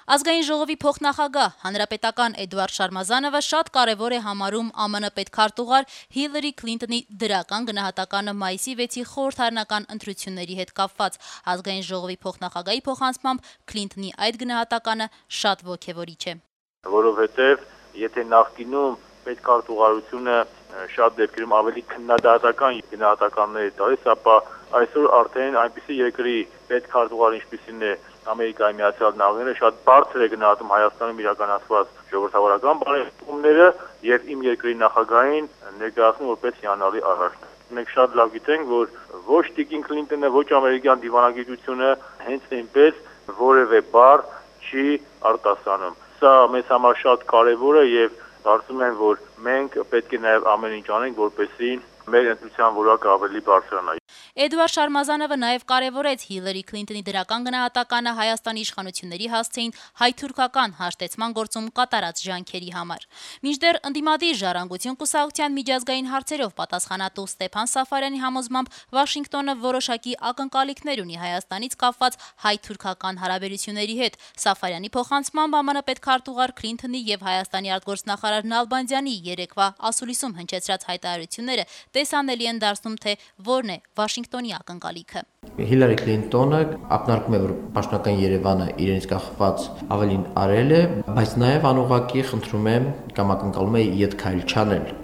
Ազգային ժողովի փոխնախագահ հանրապետական Էդուարդ Շարմազանովը շատ կարևոր է համարում ԱՄՆ պետքարտուղար Հիլարի Քլինթոնի դրական գնահատականը մայիսի 6-ի խորհրդարանական ընտրությունների հետ կապված։ Ազգային ժողովի փոխնախագահի փոխանցմամբ Քլինթոնի այդ գնահատականը շատ ոգևորիչ է։ Որովհետև եթե նախկինում պետքարտուղարությունը շատ դեպքերում ավելի քննադատական գնահատականներ է տալիս, ապա այսօր արդեն այնպիսի երկրի պետքարտուղար, ինչպիսին է Ամերիկայի Միացյալ Նահանգները, շատ բարձր է գնահատում Հայաստանում իրականացված ժողովրդավարական բարեփոխումները եւ իմ երկրի նախագահին ներկայացնում որպես հիանալի առաջնորդ։ Մենք շատ լավ գիտենք, որ ոչ Տիկին Քլինթոնը, ոչ ամերիկյան դիվանագիտությունը հենց այնպես որևէ բառ չի արտասանում։ Սա մեզ համար շատ կարևոր է եւ կարծում եմ, որ մենք պետք է նաեւ ամեն ինչ անենք, որպեսզի մեր ընտրության որակը ավելի բարձրանա։ Էդուարդ Շարմազանովը նաև կարևորեց Հիլարի Քլինթոնի դրական գնահատականը Հայաստանի իշխանությունների հասցեին հայ-թուրքական հաշտեցման գործում կատարած ջանքերի համար։ Մինչդեռ ընդդիմադիր Ժառանգություն կուսակցության միջազգային հարցերով պատասխանատու Ստեփան Սաֆարյանի համոզմամբ Վաշինգտոնը որոշակի ակնկալիքներ ունի Հայաստանից կապված հայ-թուրքական հարաբերությունների հետ։ Սաֆարյանի փոխանցմամբ ԱՄՆ պետքարտուղար Քլինթոնի եւ Հայաստանի արտգործնախարար Նալբանդյանի երեկվա ասուլիսում հնչեցրած հայտարարությունները տեսանելի են դարձնում, թե որն է Վաշինգտոնի ակնկալիքը։ Հիլարի Քլինթոնը ակնարկում է, որ պաշտոնական Երևանը իրենից կախված ավելին արել է, բայց նաև անուղղակի խնդրում է կամ ակնկալում է ետ քայլ չանել։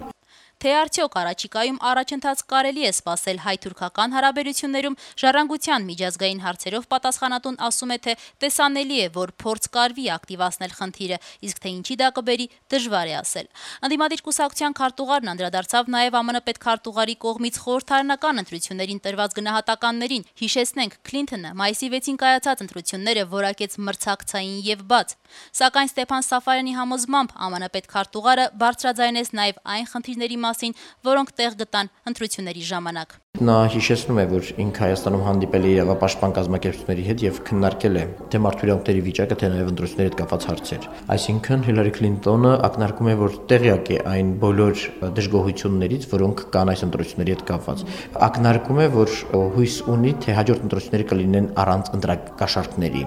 Թե արդյոք առաջիկայում առաջընթաց կարելի է սպասել հայ-թուրքական հարաբերություններում, Ժառանգության միջազգային հարցերով պատասխանատուն ասում է, թե տեսանելի է, որ փորձ կարվի ակտիվացնել խնդիրը, իսկ թե ինչի դա կբերի, դժվար է ասել։ Ընդդիմադիր կուսակցության քարտուղարն անդրադարձավ նաև ԱՄՆ պետքարտուղարի կողմից խորհրդարանական ընտրություններին տրված գնահատականներին։ Հիշեցնենք, Քլինթոնը մայիսի 6-ին կայացած ընտրությունները որակեց մրցակցային եւ բաց։ Սակայն Ստեփան Սաֆարյանի համոզմամբ ԱՄՆ պետքարտուղարը բարձրաձայնեց նաև այն խնդիրների մասին, որոնք տեղ գտան ընտրությունների ժամանակ։ Նա հիշեցնում է, որ ինքը Հայաստանում հանդիպել է իրավապաշտպան կազմակերպությունների հետ եւ քննարկել է թե մարդու իրավունքների վիճակը, թե նաեւ ընտրությունների հետ կապված հարցեր։ Այսինքն Հիլարի Քլինթոնը ակնարկում է, որ տեղյակ է այն բոլոր դժգոհություններից, որոնք կան այս ընտրությունների հետ կապված։ Ակնարկում է, որ հույս ունի, թե հաջորդ ընտրությունները կլինեն առանց ընտրակաշառքների։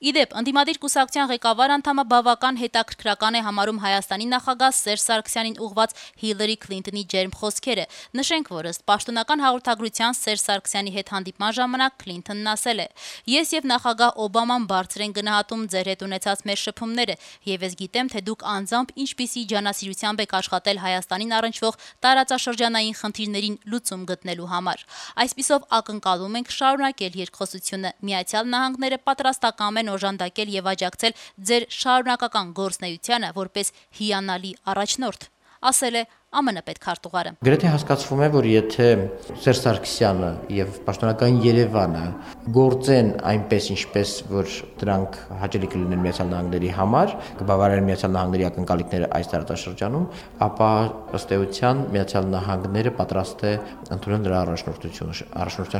Իդեպ, ընդդիմադիր կուսակցության ղեկավար անդամը բավական հետաքրքրական է համարում Հայաստանի նախագահ Սերժ Սարգսյանին ուղղված Հիլարի Քլինթոնի ջերմ խոսքերը։ Նշենք, որ ըստ պաշտոնական հաղորդագրության Սերժ Սարգսյանի հետ հանդիպման ժամանակ Քլինթոնն ասել է. «Ես եւ նախագահ Օբաման բարձր են գնահատում ձեր հետ ունեցած մեր շփումները, եւ ես գիտեմ, թե դուք անձամբ ինչպիսի ջանասիրությամբ եք աշխատել Հայաստանին առնչվող տարածաշրջանային խնդիրներին լուծում գտնելու համար։ Այսպիսով ակնկալում ենք շարունակել երկխոսությունը։ Միացյալ Նահանգները պատրաստական են օժանդակել եւ աջակցել ձեր շարունակական գործունեությանը որպես հիանալի առաջնորդ», ասել է ԱՄՆ պետքարտուղարը։ Գրեթե հասկացվում է, որ եթե Սերժ Սարգսյանը եւ պաշտոնական Երևանը գործեն այնպես, ինչպես որ դրանք հաճելի կլինեն Միացյալ Նահանգների համար, կբավարարեն Միացյալ Նահանգների ակնկալիքները այս տարածաշրջանում, ապա ըստ էության Միացյալ Նահանգները պատրաստ է ընդունել նրա առաջնորդության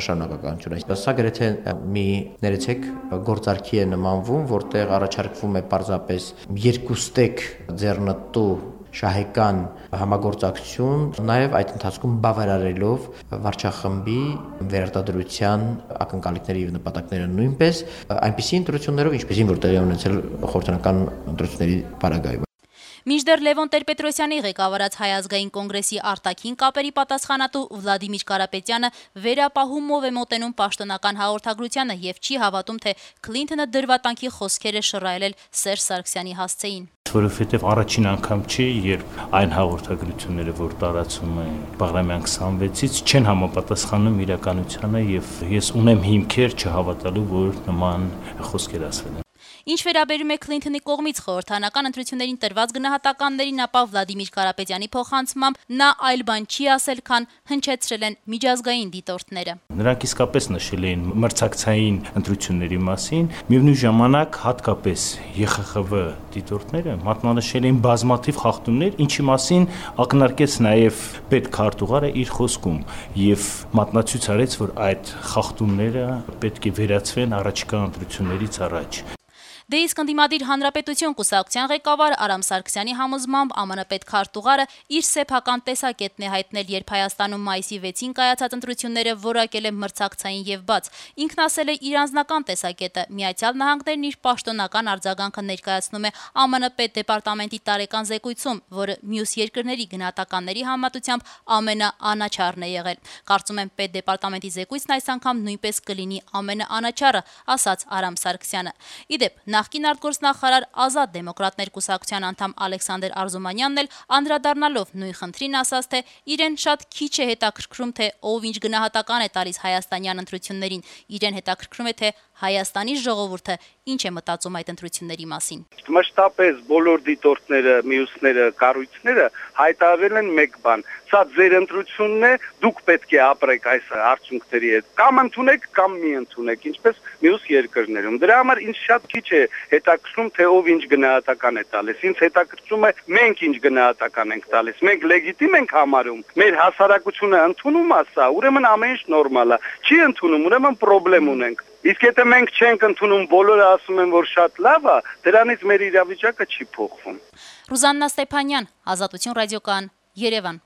շարունակականությունը։ Սա գրեթե մի ներեցեք գործարքի է նմանվում, որտեղ առաջարկվում է պարզապես երկուստեք ձեռնտու շահեկան համագործակցություն, նաև այդ ընթացքում բավարարելով վարչախմբի վերարտադրության ակնկալիքները եւ նպատակները նույնպես այնպիսի ընտրություններով, ինչպեսին որ տեղի ունեցել խորհրդարանական ընտրությունների պարագայում։ Մինչդեռ Լևոն Տեր-Պետրոսյանի ղեկավարած Հայ ազգային կոնգրեսի արտաքին կապերի պատասխանատու Վլադիմիր Կարապետյանը վերապահումով է մոտենում պաշտոնական հաղորդագրությանը եւ չի հավատում, թե Քլինթոնը դրվատանքի խոսքեր է շռայլել Սերժ Սարգսյանի հասցեին։ Որովհետև առաջին անգամ չի, երբ այն հաղորդագրությունները, որ տարածում է Բաղրամյան 26-ից, չեն համապատասխանում իրականությանը եւ ես ունեմ հիմքեր չհավատալու, որ նման խոսքեր ասվել են։ Ինչ վերաբերում է Քլինթոնի կողմից խորհրդարանական ընտրություններին տրված գնահատականներին, ապա Վլադիմիր Կարապետյանի փոխանցմամբ նա այլ բան չի ասել, քան հնչեցրել են միջազգային դիտորդները։ Նրանք իսկապես նշել էին մրցակցային ընտրությունների մասին, միևնույն ժամանակ հատկապես ԵԽԽՎ դիտորդները մատնանշել էին բազմաթիվ խախտումներ, ինչի մասին ակնարկեց նաև պետքարտուղարը իր խոսքում եւ մատնացույց արեց, որ այդ խախտումները պետք է վերացվեն առաջիկա ընտրություններից առաջ։ Դե իսկ ընդդիմադիր Հանրապետություն կուսակցության ղեկավար Արամ Սարգսյանի համոզմամբ ԱՄՆ պետքարտուղարը իր սեփական տեսակետն է հայտնել, երբ Հայաստանում մայիսի 6-ին կայացած ընտրությունները որակել է մրցակցային եւ բաց։ Ինքն ասել է իր անձնական տեսակետը։ Միացյալ Նահանգներն իր պաշտոնական արձագանքը ներկայացնում է ԱՄՆ պետդեպարտամենտի տարեկան զեկույցում, որը մյուս երկրների գնահատականների համեմատությամբ ամենաանաչառն է եղել։ Կարծում եմ պետդեպարտամենտի զեկույցն այս անգամ նույնպես կլինի ամենաանաչառը, ասաց Արամ Սարգսյանը։ Իդեպ, նախկին արտգործնախարար Ազատ դեմոկրատներ կուսակցության անդամ Ալեքսանդր Արզումանյանն էլ անդրադառնալով նույն խնդրին ասաց, թե իրեն շատ քիչ է հետաքրքրում, թե ով ինչ գնահատական է տալիս հայաստանյան ընտրություններին։ Իրեն հետաքրքրում է, թե Հայաստանի ժողովուրդը ինչ է մտածում այդ ընտրությունների մասին։ Մշտապես բոլոր դիտորդները, մյուսները, կառույցները հայտարարել են մեկ բան. սա ձեր ընտրությունն է, դուք պետք է ապրեք այս արդյունքների հետ։ Կամ ընդունեք, կամ մի ընդունեք, ինչպես մյուս երկրներում։ Դրա համար ինձ շատ քիչ է հետաքրքրում, թե ով ինչ գնահատական է տալիս։ Ինձ հետաքրքրում է մենք ինչ գնահատական ենք տալիս։ Մենք լեգիտիմ ենք համարում։ Մեր հասարակությունը ընդունում է սա, ուրեմն ամեն ինչ նորմալ է։ Չի ընդունում, ուրեմն խնդրեմ ունենք։ Իսկ եթե մենք չենք ընդունում, բոլորը ասում են, որ շատ լավ է, դրանից մեր իրավիճակը չի փոխվում։ Ռուզաննա Ստեփանյան, Ազատություն ռադիոկայան, Երևան։